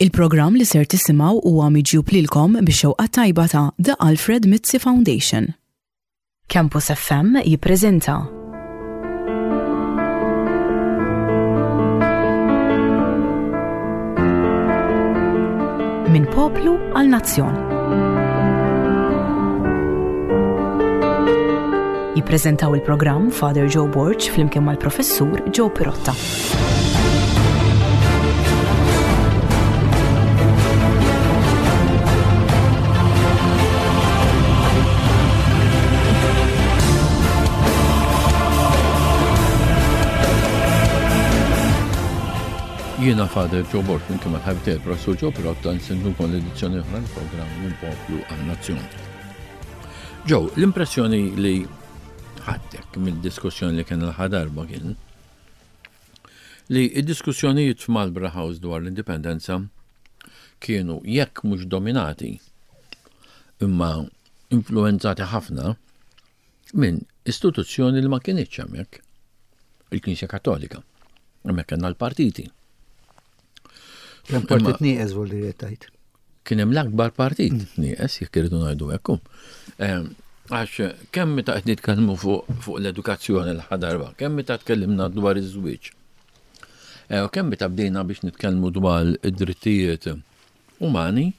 Il-programm li ser tisimgħu huwa miġjub lilkom bix-xewqa tajba ta' The Alfred Mizzi Foundation. Campus FM jippreżenta. Minn poplu għal nazzjon. Jippreżentaw il-programm Father Joe Borg flimkien mal-Professur Joe Pirotta. Jiena Father Joe Borg minn kien mal-ħabib tiegħi Professur Joe Pirotta nsindukom l-edizzjoni oħra l-programm minn poplu għal nazzjon. Joe, l-impressjoni li ħadtek mid-diskussjoni li kien l darba kien li id-diskussjonijiet f'Marlborough House dwar l-indipendenza kienu jekk mhux dominati imma influenzati ħafna minn istituzzjoni li ma kinitx hemmhekk, il-Knisja Kattolika. Hemmhekk kellna l-partiti. Kemm partit nieqes vol li tajt. Kien hemm l-akbar partit mm. nieqes jekk irridu ngħidu hekk. Ehm, għax kemm meta qed nitkellmu fuq l-edukazzjoni l-ħadarba, kemm meta tkellimna dwar iż-żwieġ. Eh, u kemm meta bdejna biex nitkellmu dwar id-drittijiet umani,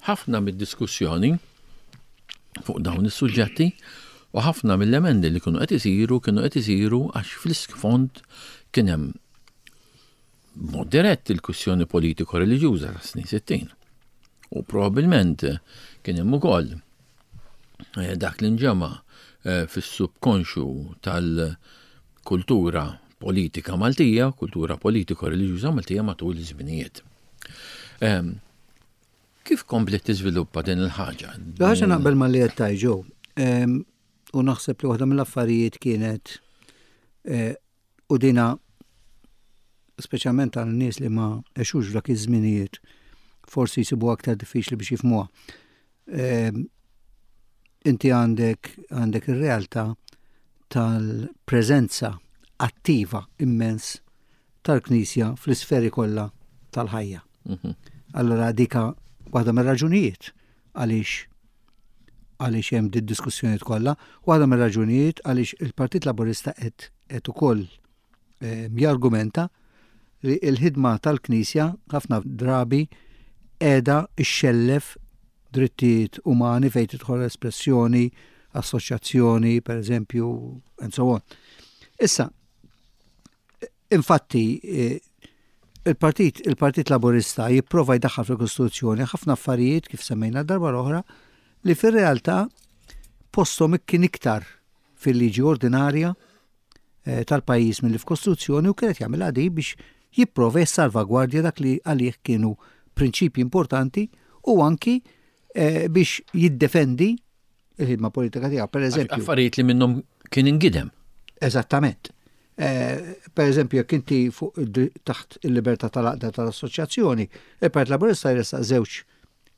ħafna mid-diskussjoni fuq dawn is-suġġetti u ħafna mill-emendi li kienu qed isiru kienu qed isiru għax fl-isfond kien hemm b'mod dirett il-kwistjoni politiko-reliġjuża tas-snin 60. U probabbilment kien hemm ukoll eh, dak li nġema eh, fis-subkonxu tal-kultura politika Maltija, kultura politiko-reliġjuża Maltija matul iż-żminijiet. Ehm, kif komplet tiżviluppa din il-ħaġa? Ħaġa naqbel ma li qed tajġu. Ehm, u naħseb li waħda mill-affarijiet kienet eh, U dina speċjalment għal nies li ma għexux f'dak iż-żminijiet forsi jsibu aktar diffiċli biex jifhmuha. Ehm, inti għandek għandek ir-realtà tal-preżenza attiva immens tal-Knisja fl-isferi kollha tal-ħajja. Mhm. Allora dika waħda mir-raġunijiet għaliex għaliex hemm di diskussjonijiet kollha, waħda mir-raġunijiet għaliex il-Partit Laburista qed qed ukoll eh, jargumenta li l-ħidma tal-Knisja ħafna drabi qiegħda xxellef drittijiet umani fejn tidħol espressjoni, assoċjazzjoni, per eżempju, and so on. Issa, Infatti, il-Partit il-Partit Laburista jipprova jdaħħal fil-Kostituzzjoni ħafna affarijiet kif semmejna darba l-oħra li fir-realtà posthom kien iktar fil-liġi ordinarja eh, tal-pajjiż milli f'Kostituzzjoni u kienet jagħmilha di biex jipprova jissalvagwardja dak li għalih kienu prinċipji importanti u anki eh, biex jiddefendi il-ħidma politika tiegħu. Per eżempju. Affarijiet li minnhom kien ingidem. Eżattament. Eh, per eżempju, jekk inti fuq taħt il-libertà tal-għaqda tal-assoċjazzjoni, il-Partit Laburista jressaq żewġ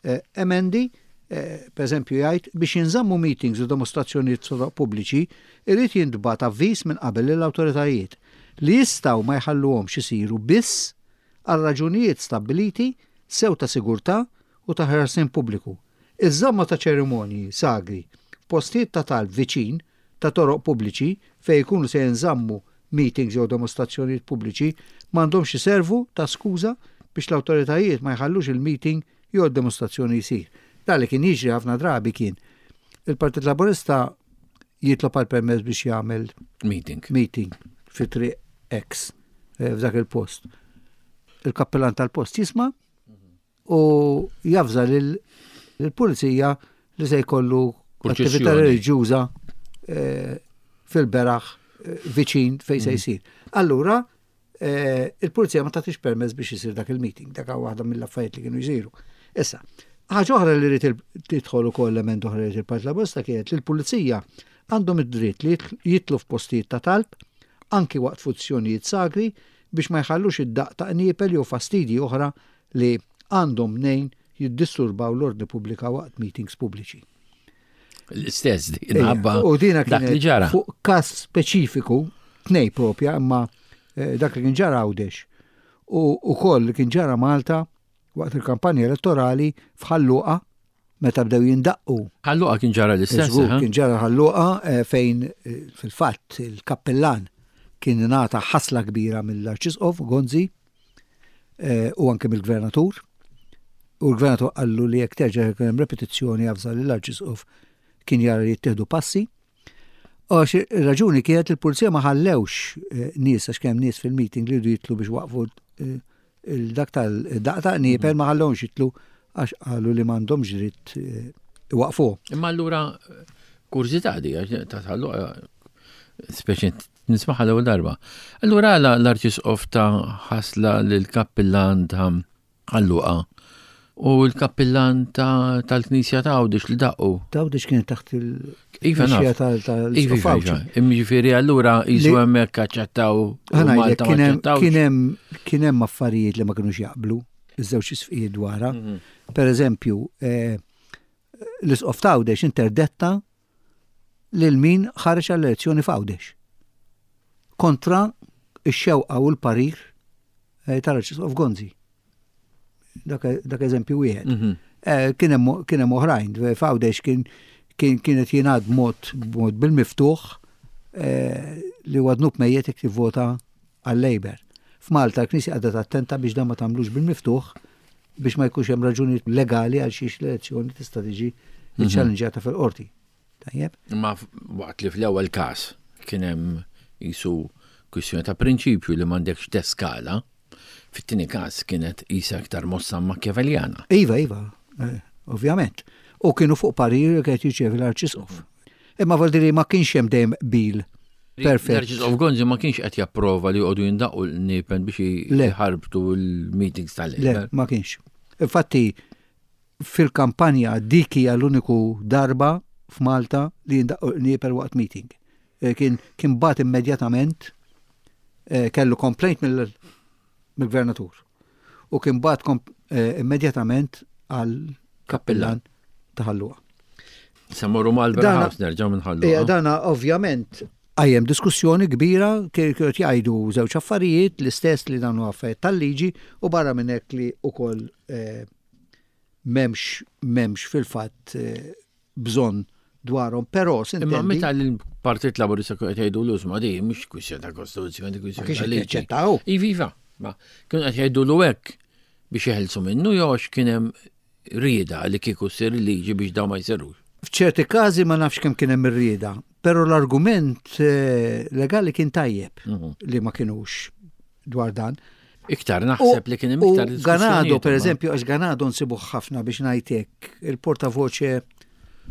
eh, emendi, eh, per eżempju jgħid biex jinżammu meetings u demostrazzjonijiet soroq pubbliċi, irid jintbagħat avviż minn qabel lill-awtoritajiet li jistgħu ma jħalluhomx isiru biss għal raġunijiet stabbiliti sew ta' sigurtà u ta' ħarsien pubbliku. Iż-żamma ta' ċerimonji sagri f'postijiet ta' talb viċin ta' toroq pubbliċi fejn ikunu se jinżammu meetings jew demostrazzjonijiet pubbliċi m'għandhomx iservu ta' skuża biex l-awtoritajiet ma jħallux il-meeting jew id-demostrazzjoni jsir. Dan li kien jiġri ħafna drabi kien il-Partit Laburista jitlob għal permess biex jagħmel meeting, meeting fi triq X eh, f'dak il-post. Il-kappellan tal-post jisma' u javża lill-pulizija li se jkollu attività reliġjuża eh, fil-beraħ eh, viċin fejn se mm. jsir. Allura, eh, il-pulizija ma tagħtix permess biex isir dak il-meeting, dak waħda mill-affarijiet li kienu jsiru. Issa, ħaġa oħra li rrid tidħol ukoll element oħra li il-Partit Laburista kienet li l-pulizija għandhom id-dritt li jitlu f'postijiet ta' talb anki waqt funzjonijiet sagri biex ma jħallux id-daqq ta' qniepel jew fastidji oħra li għandhom mnejn jiddisturbaw l-ordni pubblika waqt meetings pubbliċi. L-istess minħabba U dina dak li ġara. Fuq każ speċifiku, tnej propja, imma eh, dak li kien ġara Għawdex u ukoll li kien ġara Malta waqt il-kampanja elettorali f'Ħal Luqa meta bdew jindaqqu. Ħal Luqa kien ġara l-istess. Żgur, kien ġara Ħal Luqa fejn fil-fatt il-kappillan kien ingħata ħasla kbira mill-Arċisqof Gonzi u anke mill-Gvernatur. U l-Gvernatur qallu li jekk terġa' jkun hemm repetizzjoni avża lill-Arċisqof kien jara li jittieħdu passi. Għax ir-raġuni kienet li l-pulizija ma ħallewx nies għax kemm nies fil-meeting li jridu jitlu biex waqfu il-dak tal-daqqa ta' qniepel ma ħallewhomx jitlu għax qalu li m'għandhomx dritt eh, iwaqfu. Imma allura kurżità di għax ta' tħallu speċi nismaħa l-ewwel darba. Allura għala l-arċisqof ta' ħasla lill-kappillan ta' Ħal Luqa u l-kappillan tal-Knisja ta' Għawdex li daqqu. Ta' Għawdex kien taħt il- Iva naf. Iva, iva, iva. Jiġifieri allura jisu hemmhekk aċċettaw Kien hemm affarijiet li ma kinux jaqblu iż-żewġ isfijiet dwarha. Mhm. Per eżempju, eh, l-isqof ta' Għawdex interdetta lil min ħareġ għall-elezzjoni f'Għawdex. Kontra x-xewqa u l-parir eh, tal-Arċisqof Gonzi. Dak eżempju wieħed. Mhm. Eh, kien hemm oħrajn, f'Għawdex kien kienet jingħad mod mod bil-miftuħ eh, li huwa dnub mejjet jekk tivvota għal-Labour. F'Malta l-Knisja qagħdet attenta biex dan ma tagħmlux bil-miftuħ biex ma jkunx hemm raġuni legali għal xiex l-elezzjoni tista' tiġi mhm. ċċallenġjata fil-qorti. Tajjeb? Ma waqt li fl-ewwel każ kien hemm jisu kwistjoni ta' prinċipju li m'għandekx teskala, fit-tieni każ kienet qisha iktar mossa Machiavelliana. Iva, iva, eh, ovvjament. U kienu fuq parir li kienet jirċievi l-Arċisqof. Imma vuol dire ma kienx hemm dejjem qbil perfett. L-Arċisqof Gonzi ma kienx qed japprova li joqogħdu jindaqqu l-nipen biex jħarbtu l-meetings tal-Labour. Le, ma kienx. Infatti, fil-kampanja dik hija l-uniku darba f'Malta li jindaqqu l-qniepen waqt meeting. Eh, kien kien bat immedjatament eh, kellu complaint mill-gvernatur. U kien bat eh, immedjatament għal kappillan ta' Ħal Luqa. Se morru mal-Bra House nerġgħu minn Ħal Luqa. Dana ovvjament għajem diskussjoni kbira kienu jgħidu żewġ affarijiet l-istess li dan huwa affarijiet tal-liġi u barra minn hekk li wkoll eh, m'hemmx m'hemmx fil-fatt eh, bżonn dwarhom, però Imma meta l-Partit Laburista kienu qed jgħidu l-użma di mhux kwistjoni ta' kostituzzjoni, kwistjoni ta' liġi. Iva, iva, ma kienu qed jgħidu hekk biex jeħilsu minnu jew għax kien hemm rieda li kieku ssir liġi biex dawn ma jsirux. F'ċerti każi ma nafx kemm kien hemm ir-rieda, però l-argument eh, legali kien tajjeb mhm. li ma kinux dwar dan. Iktar naħseb li kien hemm iktar Ganado, per eżempju, għax Ganado nsibuh ħafna biex ngħidlek il-portavoċe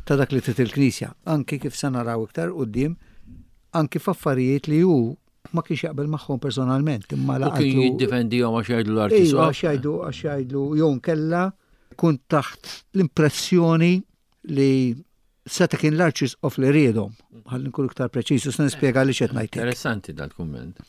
ta' dak li trid il-Knisja, anki kif se naraw iktar quddiem, anki f'affarijiet li hu ma kienx jaqbel magħhom personalment, imma laqgħu. Kien jiddefendihom għax jgħidlu l-arċisqof. Iva, għax jgħidu għax jgħidlu jew kella kun taħt l-impressjoni li seta' kien l-arċisqof li riedhom. Ħalli nkun iktar preċiż, se nispjega li qed ngħid. Interessanti dal-kumment.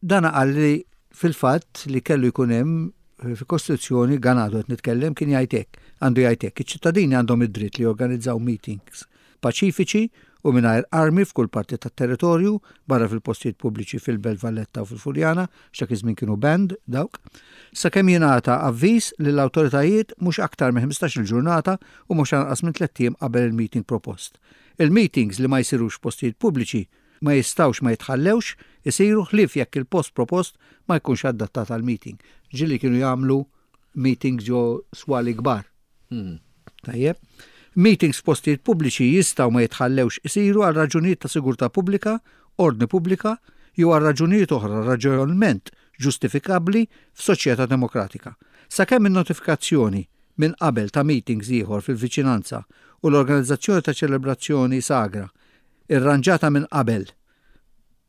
Dan qal li fil-fatt li kellu jkun hemm eh, fil-Kostituzzjoni Ganado qed nitkellem kien jgħid hekk, għandu jgħid hekk, iċ-ċittadini għandhom id-dritt li jorganizzaw meetings paċifiċi u mingħajr armi f'kull parti tat-territorju, barra fil-postijiet pubbliċi fil-Belt Valletta u fil-Furjana, għax dak iż-żmien kienu banned dawk, sakemm jingħata avviż lill-awtoritajiet mhux aktar minn ħmistax-il ġurnata u mhux anqas minn tlett ijiem qabel il-meeting propost. Il-meetings li ma jsirux f'postijiet pubbliċi ma jistgħux ma jitħallewx isiru ħlief jekk il-post propost ma jkunx adattat għall-meeting. Ġieli kienu jagħmlu meetings ġo swali kbar. Tajjeb. Meetings f'postijiet pubbliċi jistgħu ma jitħallewx isiru għal raġunijiet ta' sigurtà pubblika, ordni pubblika jew għal raġunijiet oħra raġonevolment ġustifikabbli f'soċjetà demokratika. Sakemm in-notifikazzjoni minn qabel ta' meetings ieħor fil-viċinanza u l-organizzazzjoni ta' ċelebrazzjoni sagra rranġata minn qabel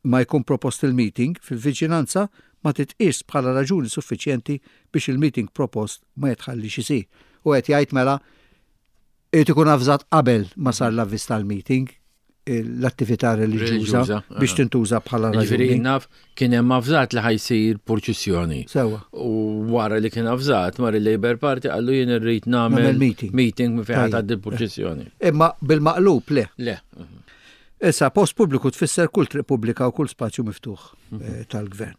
ma jkun propost il-meeting fil-viċinanza ma titqiesx bħala raġuni suffiċjenti biex il-meeting propost ma jitħalliex isir. U qed jgħid mela irid ikun avżat qabel ma sar l-avviż tal-meeting l-attività reliġjuża biex tintuża bħala raġuni. Ġifieri naf kien hemm avżat li ħajsir purċissjoni. Sewwa. U wara li kien avżat mar il-Labour Party qallu jien irrid nagħmel meeting meeting minn fejn tgħaddi l-purċissjoni. Imma bil-maqlub le. Le. Issa, post pubbliku tfisser kull triq pubblika u kull spazju miftuħ mhm. eh, tal-gvern.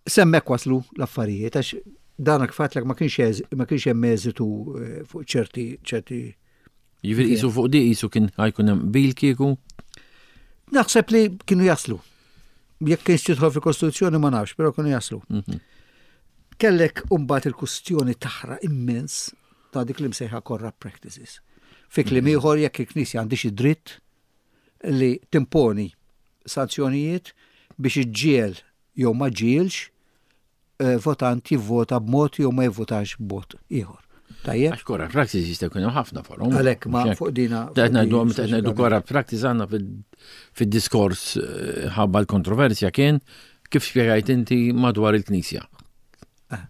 Semmek waslu l-affarijiet, għax Dan kif għedtlek ma kienx ma kienx hemm eżitu eh, fuq ċerti ċerti. Jiġifieri qisu fuq di qisu kien ħajkun hemm bil kieku? Naħseb li kienu jaslu. Jekk kienx tidħol fil-Kostituzzjoni ma nafx, però kienu jaslu. Mhm. Kellek umbat il-kustjoni taħra immens ta' dik li msejħa corrupt practices. Fi kliem mhm. ieħor jekk il-Knisja għandix id-dritt li timponi sanzjonijiet biex iġġiel jew ma ġielx eh, votant jivvota b'mod jew ma jivvotax b'mod ieħor. Tajjeb. Għax corrupt practice jista' jkun hemm ħafna forom. Għalhekk ma fuq dina. Qed ngħidu qed ngħidu corrupt practice għandna fid-diskors eh, ħabba l-kontroversja kien kif spjegajt inti madwar il-Knisja. Ah.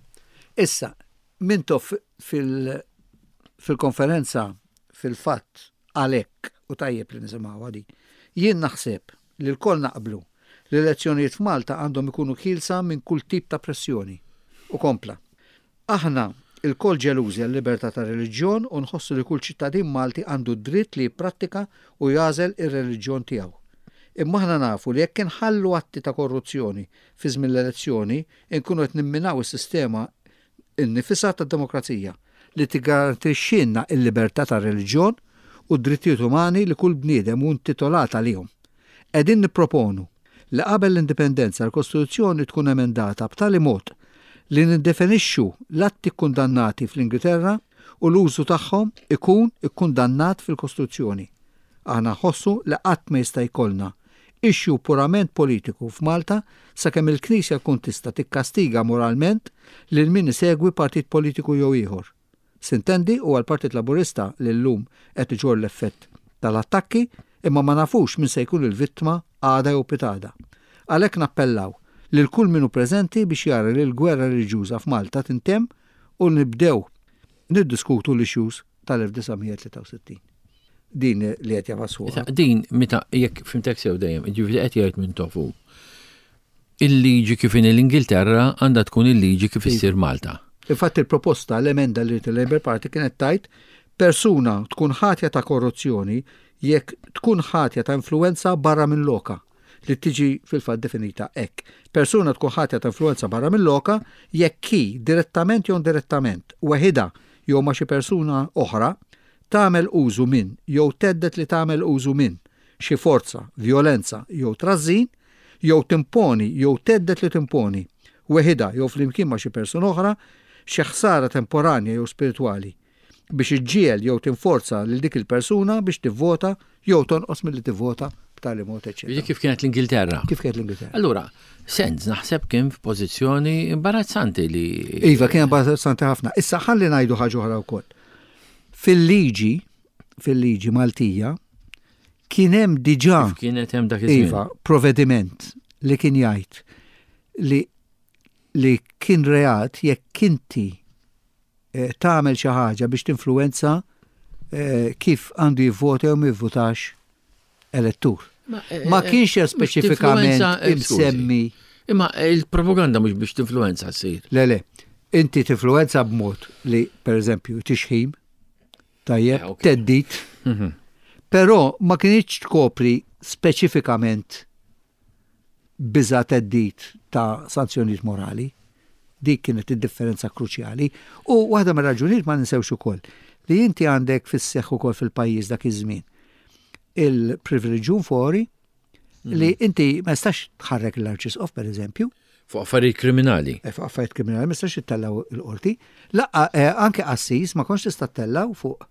Issa, Mintoff fil-konferenza fil-fatt għalhekk u tajjeb li nisimgħuha din. Jien naħseb li lkoll naqblu li l-elezzjonijiet f'Malta għandhom ikunu ħielsa minn kull tip ta' pressjoni. U kompla, Aħna lkoll ġelużi għal-libertà ta' reliġjon u nħossu li kull ċittadin Malti għandu d-dritt li jipprattika u jagħżel ir-reliġjon tiegħu. Imma aħna nafu li jekk inħallu atti ta' korruzzjoni fi żmien l-elezzjoni inkunu qed nimminaw is-sistema nnifisha tad-demokrazija, li tiggarantixxilna l-libertà tar-reliġjon u d-drittijiet umani li kull bniedem hu intitolat għalihom. Qegħdin nipproponu li qabel l-Indipendenza l-Kostituzzjoni tkun emendata b'tali mod li niddefinixxu l-atti kkundannati fl-Ingilterra u l-użu tagħhom ikun ikkundannat fil-Kostituzzjoni. Aħna nħossu li qatt ma jista' jkollna issue purament politiku f'Malta sakemm il-Knisja tkun tista' tikkastiga moralment lil min isegwi partit politiku jew ieħor. Sintendi huwa l-Partit Laburista li llum qed iġorr l-effett tal-attakki imma ma nafux min se jkun il-vittma għada jew pitgħada. Għalhekk nappellaw lil kull min hu preżenti biex jara li l-gwerra reliġjuża f'Malta tintemm u nibdew niddiskutu l-issues tal-1963. Din li qed jafas fuqha. Din meta jekk fimtek sew dejjem, jiġifieri qed jgħid minn tofu. Il-liġi kif inhi l-Ingilterra għandha tkun il-liġi kif issir Malta. Infatti il-proposta l-emenda li il-Labour Party kienet tajt persuna tkun ħatja ta' korruzzjoni jekk tkun ħatja ta' influenza barra minn loka li tiġi fil-fatt definita hekk. Persuna tkun ħatja ta' influenza barra minn loka jekk hi direttament jew indirettament, weħidha jew ma' xi persuna oħra, tagħmel użu minn jew thedded li tagħmel użu minn xi forza, vjolenza jew trażżin, jew timponi jew thedded li timponi, weħidha jew flimkien ma' xi persuna oħra, xi ħsara temporanja jew spiritwali, biex iġġiegħel jew tinforza lil dik il-persuna biex tivvota jew tonqos milli tivvota b'tali mod, eċċetera. Jiġifieri kif kienet l-Ingilterra. Kif kienet l-Ingilterra. Allura, Sands naħseb kien f'pożizzjoni imbarazzanti li. Iva, kien imbarazzanti ħafna. Issa ħalli ngħidu ħaġa oħra wkoll. Fil-liġi, fil-liġi Maltija, kien hemm diġà. Kif kienet hemm dak iż-żmien. Iva, provvediment li kien jgħid li li kien reat jekk inti eh, tagħmel xi ħaġa biex tinfluwenza eh, kif għandu jivvota jew ma jivvotax elettur. Ma eh, kienx hemm speċifikament imsemmi. Imma il-propaganda mhux biex tinfluwenza ssir. Le, le. Inti tinfluwenza b'mod li, per eżempju, tixħim, tajjeb, teddit, mhm. però ma kienx tkopri speċifikament biża' theddid ta' sanzjonijiet morali. Dik kienet id-differenza kruċjali. U waħda mir-raġunijiet ma ninsewx ukoll li inti għandek fis-seħħ ukoll fil-pajjiż dak iż-żmien il-privileġġjum fori li mhm. inti ma jistax tħarrek l-arċisqof per eżempju. Fuq affarijiet kriminali. Eh, fuq affarijiet kriminali ma jistax ittellaw il-qorti. Laqqa eh, anke qassis ma kontx tista' ttellaw fuq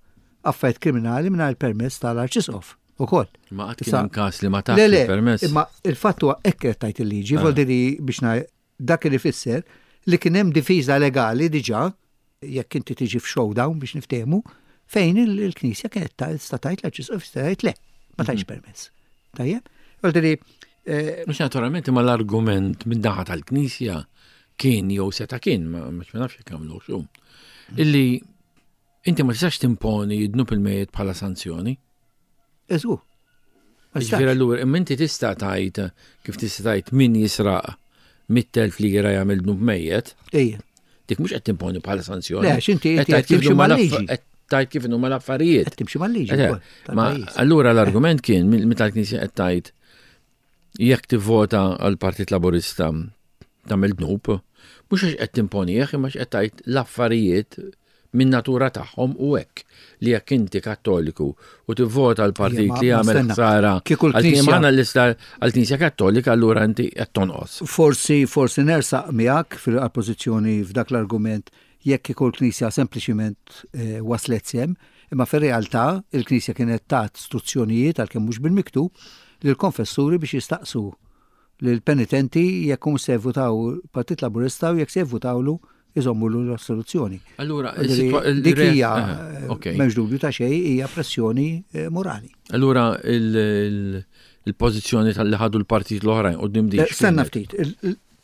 affarijiet kriminali mingħajr permess tal-arċisqof. Ukoll. Ma qatt kien hemm każ li ma tax il-permess. Imma il-fatt huwa hekk qed tgħid il-liġi, ah. vol li biex dak li fisser li kien hemm difiża legali diġà jekk inti tiġi f'showdown biex niftehmu fejn il-Knisja kienet tista' tgħid l-Arċisqof jista' jgħid le, ma tajx mhm. permess. Tajjeb? Vol li eh, Mhux naturalment imma l-argument minn naħa tal-Knisja kien jew seta' kien, ma nafx jekk għamlu xum. Illi Inti ma tistax timponi id-dnub il-mejjet bħala sanzjoni. Eżu. Ġifieri allura, imma inti tista' tgħid kif tista' tgħid min jisraq mit-telf li jira jagħmel dnub mejjet. Ejja. Dik mhux qed timponi bħala sanzjoni. Le, x'inti qed timxi mal-liġi. Qed tgħid kif inhuma l-affarijiet. Qed timxi mal-liġi. Ma allura l-argument kien meta l-Knisja qed tgħid jekk tivvota għall-Partit Laburista tagħmel dnub, Mhux għax qed timponih, imma għax qed tgħid l-affarijiet min natura tagħhom u hekk li jekk inti kattoliku u tivvota l-partit li jagħmel ħsara għal l-lista għall-Knisja Kattolika allura inti qed tonqos. Forsi forsi nersaq miegħek fil-pożizzjoni f'dak l-argument jekk kieku l-Knisja sempliċiment eh, waslet sem, imma fir-realtà il-Knisja kienet tat struzzjonijiet għalkemm mhux bil-miktub lill-konfessuri biex jistaqsu lill-penitenti jekk hum se jvutaw Partit Laburista u jekk se jvutawlu iżommulu l-assoluzzjoni. Allura, dik hija eh, m'hemmx dubju ta' xejn hija pressjoni eh, morali. Allura il-pożizzjoni tal-li ħadu l-partit l-oħrajn qudiem dik. Eh, stenna ftit,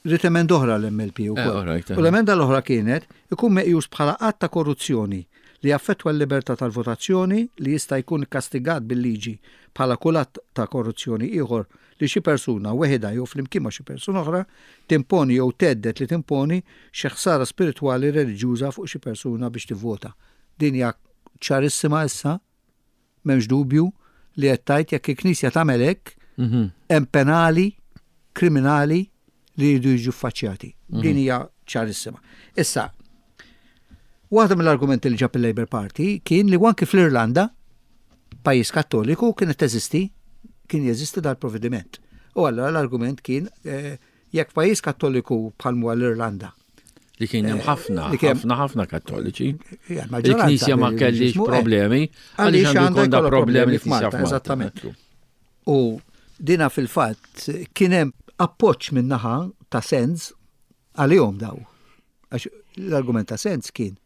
rrid emenda oħra l-MLP ukoll. U l-emenda l-oħra kienet ikun meqjus bħala att ta' korruzzjoni li jaffettwa l-libertà tal-votazzjoni li jista' jkun ikkastigat bil-liġi bħala kull att ta' korruzzjoni ieħor li xi persuna, weħidha jew flimkien ma' xi persuna oħra, timponi jew thedded li timponi xi ħsara spiritwali reliġjuża fuq xi persuna biex tivvota. Din hija ċarissima issa, m'hemmx dubju li qed tgħid jekk il-Knisja tagħmel hekk, hemm penali kriminali li jridu jiġu ffaċċjati. Din hija ċarissima. Issa, waħda mill-argumenti li ġab il-Labour Party kien li anki fl-Irlanda, pajjiż kattoliku, kienet teżisti, kien jeżisti dal-provvediment. U allura l-argument kien eh, jekk pajjiż kattoliku bħal huwa l-Irlanda. Li kien hemm eh, ħafna, ħafna ħafna kattoliċi. Il-Knisja ma kellix eh, problemi, għaliex għandu jkun da problemi f'Malta. Eżattament. U dina fil-fatt kien hemm appoġġ min-naħa ta' Sens għalihom daw. Għax l-argument ta' Sens kien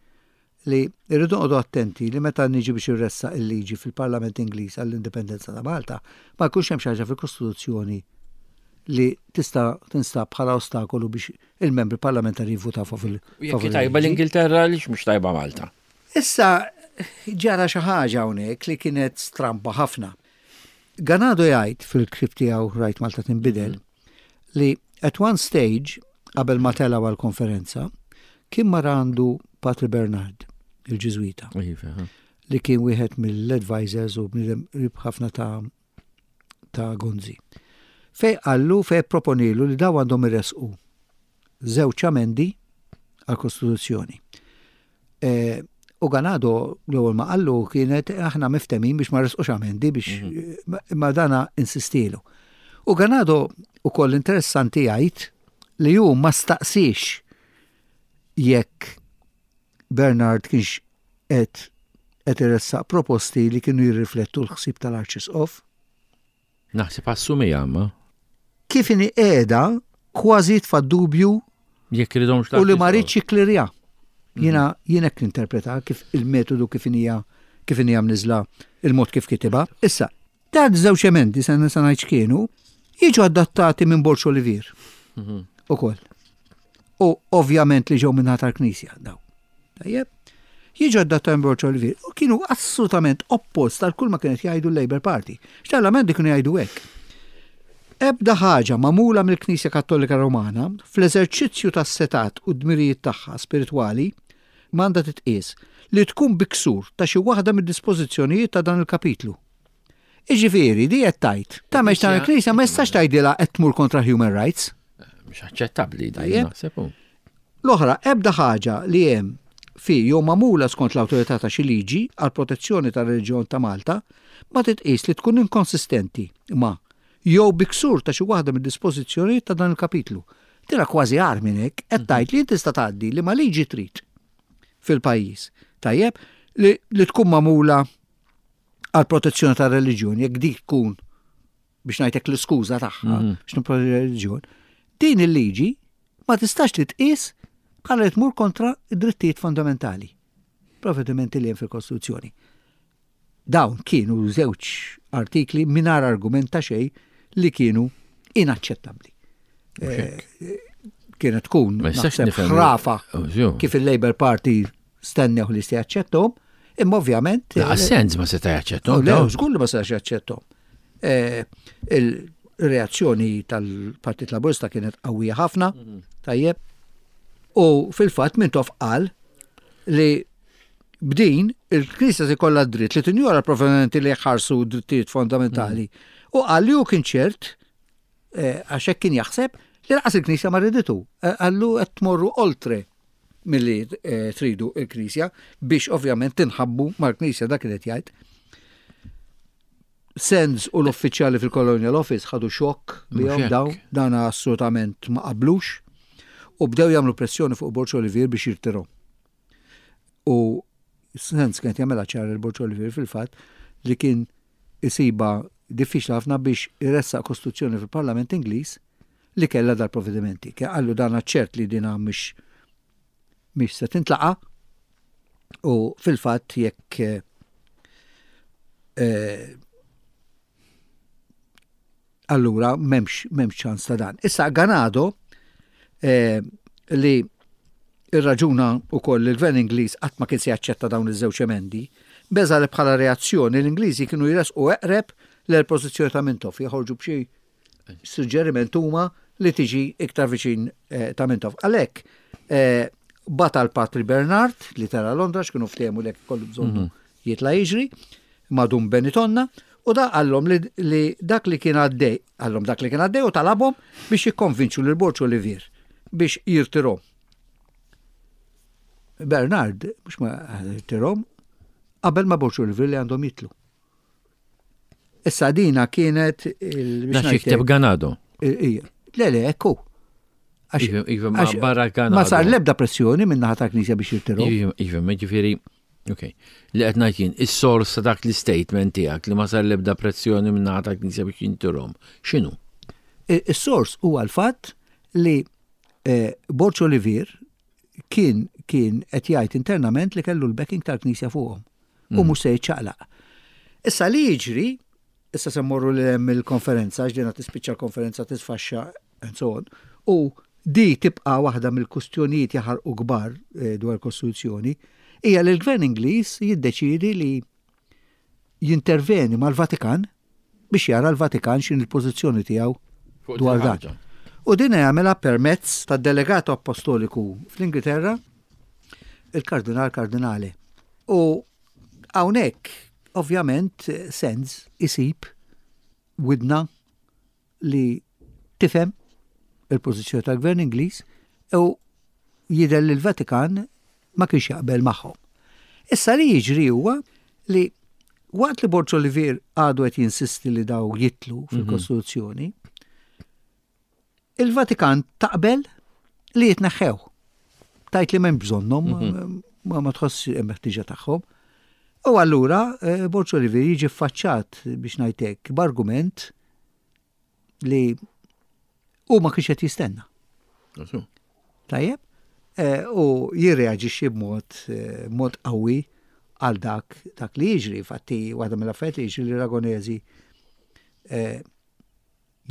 li rridu noqogħdu attenti li meta niġi biex irressaq il-liġi fil-Parlament Ingliż għall-Indipendenza ta' Malta, ma jkunx hemm xi ħaġa fil-Kostituzzjoni li tista' tinstab bħala ostakolu biex il-membri parlamentari jivvutaw favur il. Jekk tajba l-Ingilterra għaliex mhux tajba Malta? Issa ġara xi ħaġa hawnhekk li kienet stramba ħafna. Ganado jgħid fil-ktieb tiegħu Rajt Malta Tinbidel li at one stage qabel ma telgħu għall-konferenza kien mar għandu Patri Bernard, il-Ġiżwita, iva, li kien wieħed mill-advisors u bniedem qrib ħafna ta' ta' Gonzi. Fej qallu, fej proponilu li daw għandhom iressqu żewġ amendi għall-Kostituzzjoni. E, u Ganado l-ewwel ma qallu kienet aħna miftemin biex ma resqux amendi biex mhm. imma dana insistilu. U Ganado ukoll interessanti jgħid li hu ma staqsix jekk Bernard kienx qed qed iressaq proposti li kienu jirriflettu l-ħsieb tal-Arċisqof. Naħseb assumija ma. Kif inhi qiegħda kważi tfa' dubju jekk iridhomx u li ma rridx jiklirja. Jiena mhm. jien hekk ninterpreta kif il-metodu kif inhija kif inhija mniżla il-mod kif kitibha. Issa, ta' żewġ emendi se nisa ngħid x'kienu, jiġu adattati minn Borġ Olivier. Mhm. Ukoll. U ovvjament li ġew minn tal-Knisja daw. Tajjeb? Jiġu adattati minn Borġ Olivier u kienu assolutament oppost għal kull ma kienet jgħidu l-Labour Party. X'tal-emendi kienu jgħidu hekk. Ebda ħaġa magħmula mill-Knisja Kattolika Romana fl-eżerċizzju tas-setgħat u d-dmirijiet tagħha spiritwali m'għandha titqies li tkun bi ksur ta' xi waħda mid-dispożizzjonijiet ta' dan il-kapitlu. Jiġifieri, di qed tgħid, tagħmel x'tagħmel il-Knisja ma jistax tgħidilha qed tmur kontra human rights. Mhux aċċettabbli di, naħseb. L-oħra, ebda ħaġa li hemm fi jew magħmula skont l-awtorità ta' xi liġi għall-protezzjoni tar-reliġjon ta' Malta ma titqies li tkun inkonsistenti ma' jew bi ksur ta' xi waħda mid-dispożizzjonijiet ta' dan il-kapitlu. Dina kważi agħar minn hekk, qed tgħid li int tista' tgħaddi liema liġi trid fil-pajjiż. Tajjeb, li, li tkun magħmula għall-protezzjoni tar-reliġjon, jekk dik tkun biex ngħidlek l-iskuża tagħha mhm. biex nipproteġi reliġjon, din il-liġi ma tistax titqies bħala li tmur kontra id-drittijiet fundamentali, provvedimenti li hemm fil-Kostituzzjoni. Dawn kienu żewġ artikli mingħajr argument ta' xejn li kienu inaċċettabbli. Eh, kienet tkun ħrafa oh, kif il-Labour Party stennew li se jaċċettom, imma ovvjament. La sens ma seta' jaċċettom. Le, żgur li ma setax jaċċettom. Eh, il-reazzjoni tal-Partit Laburista kienet qawwija ħafna, mhm. tajjeb. U fil-fatt Mintoff qal li b'din il-Knisja se jkollha dritt li tinjora l-provvedimenti li jħarsu drittijiet fondamentali. Mhm. U qal li hu kien ċert Eh, għax hekk kien jaħseb Li lanqas il-Knisja ma riditu. Qallu qed tmorru oltre milli tridu il-Knisja biex ovvjament tinħabbu mal-Knisja dak li qed jgħid. Sands u l-uffiċjali fil-Colonial Office ħadu xokk bihom dawn, dan assolutament ma qablux u bdew jagħmlu pressjoni fuq Borg Olivier biex jirtirhom. U Sands kienet jagħmilha ċar il Borg Olivier fil-fatt li kien isibha diffiċli ħafna biex iressaq kostituzzjoni fil-Parlament Ingliż li kellha dal-provvedimenti. Kien qallu dan ċert li dina mhix mhix se tintlaqa' u fil-fatt jekk eh, allura m'hemmx m'hemmx ċans ta' dan. Issa Ganado eh, li irraġuna wkoll li l-Gvern Ingliż qatt ma kien se jaċċetta dawn iż-żewġ emendi, beża li bħala reazzjoni l-Ingliżi kienu jresqu eqreb l-pożizzjoni ta' Mintoff, joħorġu b'xi suġġeriment huma li tiġi iktar viċin eh, ta' Mintoff. Għalhekk eh, bata l-Patri Bernard li tara Londra x'kienu ftehmu li kollu bżonnu mhm. jitla' jiġri madum Benitonna u da għallhom li, li dak li kien għaddej, għallhom dak li kien għaddej u talabhom biex jikkonvinċu lil Borġ Olivier biex jirtirhom. Bernard, mhux ma jirtirhom, qabel ma Borġ Olivier li għandhom jitlu. Issa dina kienet il. Da xikteb Ganado. Ija. Le, le, ekku. Iva, iva, ma barra Ganado. Ma sar lebda pressjoni minn naħa ta' knisja biex jirtiru. Iva, iva, ma ġifieri, ok. Li qed ngħid jien, is-sors ta' dak l-istatement tiegħek li ma sar lebda pressjoni minn naħa ta' knisja biex jintirhom. X'inhu? Is-sors huwa l-fatt li eh, Borġ Olivier kien kien qed jgħid internament li kellu l-backing tal-Knisja fuqhom u mm. mhux se jiċċaqlaq. Issa li jiġri, issa se mmorru li hemm il-konferenza, għax dina tispiċċa l-konferenza tisfaxxa and so on, u di tibqa' waħda mill-kustjonijiet jaħarqu kbar eh, dwar kostituzzjoni, hija li l-Gvern Ingliż jiddeċiedi li jinterveni mal-Vatikan biex jara l-Vatikan x'in il-pożizzjoni tiegħu dwar dan. U din jagħmilha permezz tad-delegat apostoliku fl-Ingilterra, il-Kardinal Kardinale. U hawnhekk ovvjament Sands isib widna li tifhem il-pożizzjoni tal-Gvern Ingliż u jidher li l-Vatikan ma kienx jaqbel magħhom. Issa li jiġri huwa li waqt li Borg Olivier għadu qed jinsisti li daw jitlu mhm. fil-Kostituzzjoni, il-Vatikan taqbel li jitneħħew. Tajt li m'hemm bżonnhom, mhm. ma ma tħoss hemm ħtiġa tagħhom. U allura eh, Borg Olivier jiġi ffaċċat biex ngħidlek b'argument li hu ma kienx qed jistenna. Tajjeb? Eh, u jirreaġixxi b'mod eh, mod qawwi għal dak dak li jiġri. Fatti waħda mill-affarijiet li jiġri li Ragonesi eh,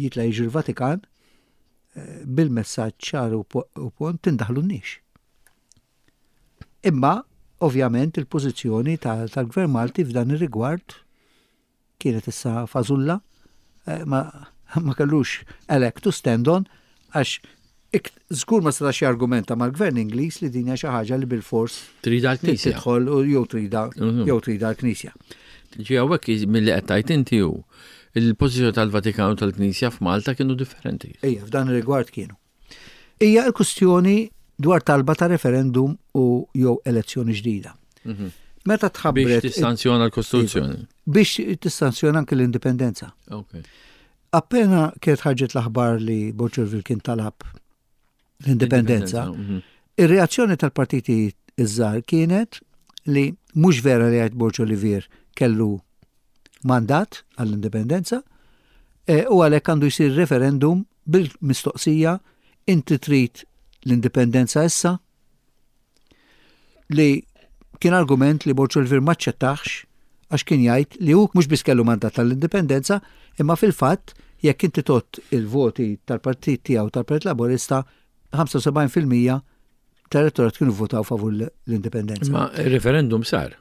jitla jiġri l-Vatikan bil-messaġġ ċar u pont tindaħlu n-nix. Imma, ovvjament, il-pożizzjoni tal-Gvern Malti f'dan ir-rigward kienet issa fażulla, eh, ma, ma kellux elek to stand on, għax żgur ma setax jargumenta mal-gvern Ingliż li din hija xi ħaġa li bil-fors trida l-Knisja. Tidħol jew trida mhm. jew trida l-Knisja. Ġi hawnhekk milli qed tgħid inti hu il-pożizzjoni tal-Vatikan u tal-Knisja f'Malta kienu differenti. Ejja, f'dan ir-rigward kienu. Hija l-kwistjoni dwar talba ta' referendum u jew elezzjoni ġdida. Mhm. Meta tħabbret. Biex tissanzjona l-Kostituzzjoni. Biex tissanzjona anke l-indipendenza. Appena kienet ħarġet l-aħbar li Boċerville kien talab l-indipendenza, mhm. ir-reazzjoni tal-partiti iż-żgħar kienet li mhux vera li għajt Borġ Olivier kellu mandat għall-indipendenza e, u għalhekk għandu jsir referendum bil-mistoqsija inti trid l-indipendenza issa li kien argument li Borġ Olivier ma ċċettax għax kien jgħid li hu mhux biss kellu mandat tal-indipendenza imma fil-fatt jekk inti tot il-voti tal-partit tiegħu tal-Partit Laburista 75% tal-elettorat kienu votaw favur l-indipendenza. Ma il-referendum sar.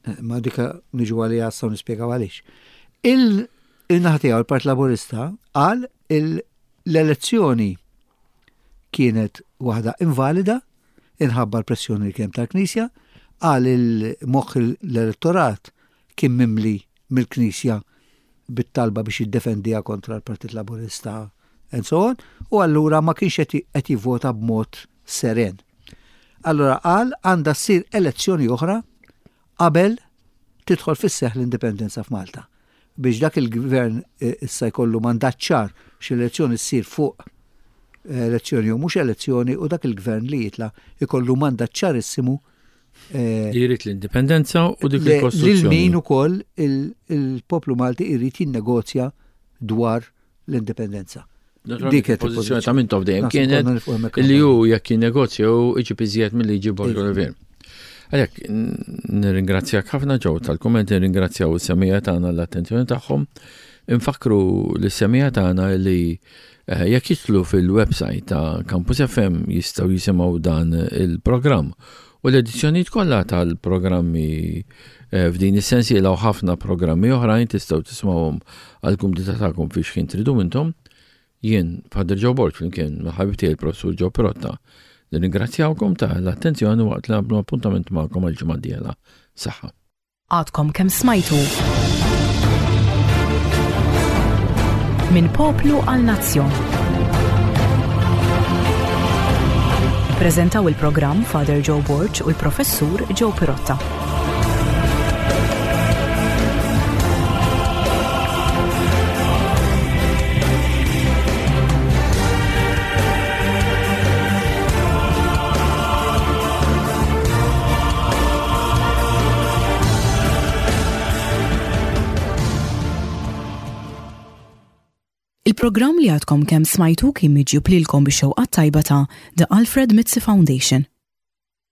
Eh, ma dika niġu għalija għassaw nispjegaw għaliex. Il-naħa tiegħu il-Partit Laburista qal l-elezzjoni kienet waħda invalida inħabba l-pressjoni li kien tal-Knisja, qal il-moħħ l-elettorat kien mimli mill-Knisja bit-talba biex jiddefendiha kontra l-Partit Laburista. and so on, u allura ma kienx qed jivvota b'mod seren. Allura qal għandha ssir elezzjoni oħra qabel tidħol fis-seħħ l-indipendenza f'Malta. Biex dak il-gvern eh, issa jkollu mandat ċar x'elezzjoni ssir fuq eh, elezzjoni u mhux elezzjoni u dak il-gvern li jitla jkollu mandat ċarissimu eh, Li jrid l-indipendenza u dik il-Kostituzzjoni. Lil min ukoll il-poplu Malti jrid jinnegozja dwar l-indipendenza. Dik il-pożizzjoni ta' Mintoff dejjem kienet li hu jekk jinnegozja u iġib iżjed milli jġib Borg Olivier. Għalhekk nirringrazzjak ħafna ġew tal-kumment, nirringrazzjaw is-semija tagħna l-attenzjoni tagħhom. Infakru lis-semija tagħna li eh, jekk jidħlu fil-website ta' Campus FM jistgħu jisimgħu dan il-programm U l-edizzjonijiet kollha tal-programmi eh, f'din is-sensiela u ħafna programmi oħrajn tistgħu tismawhom għall-kumdità tagħkom fi xħin tridu intom. Jien Father Joe Borg flimkien ma' ħabib tiegħi il-Professur Joe Pirotta. Nirringrazzjawkom ta' l-attenzjoni waqt li nagħmlu appuntament magħkom għal ġimgħa d-dieħla. Saħħa. Għadkom kemm smajtu Minn poplu għal nazzjon. Ippreżentaw il-programm Father Joe Borg u l-Professur Joe Pirotta. Il-programm li għadkom kemm smajtu kien miġjub lilkom bix-xewqat tajba ta' The Alfred Mizzi Foundation.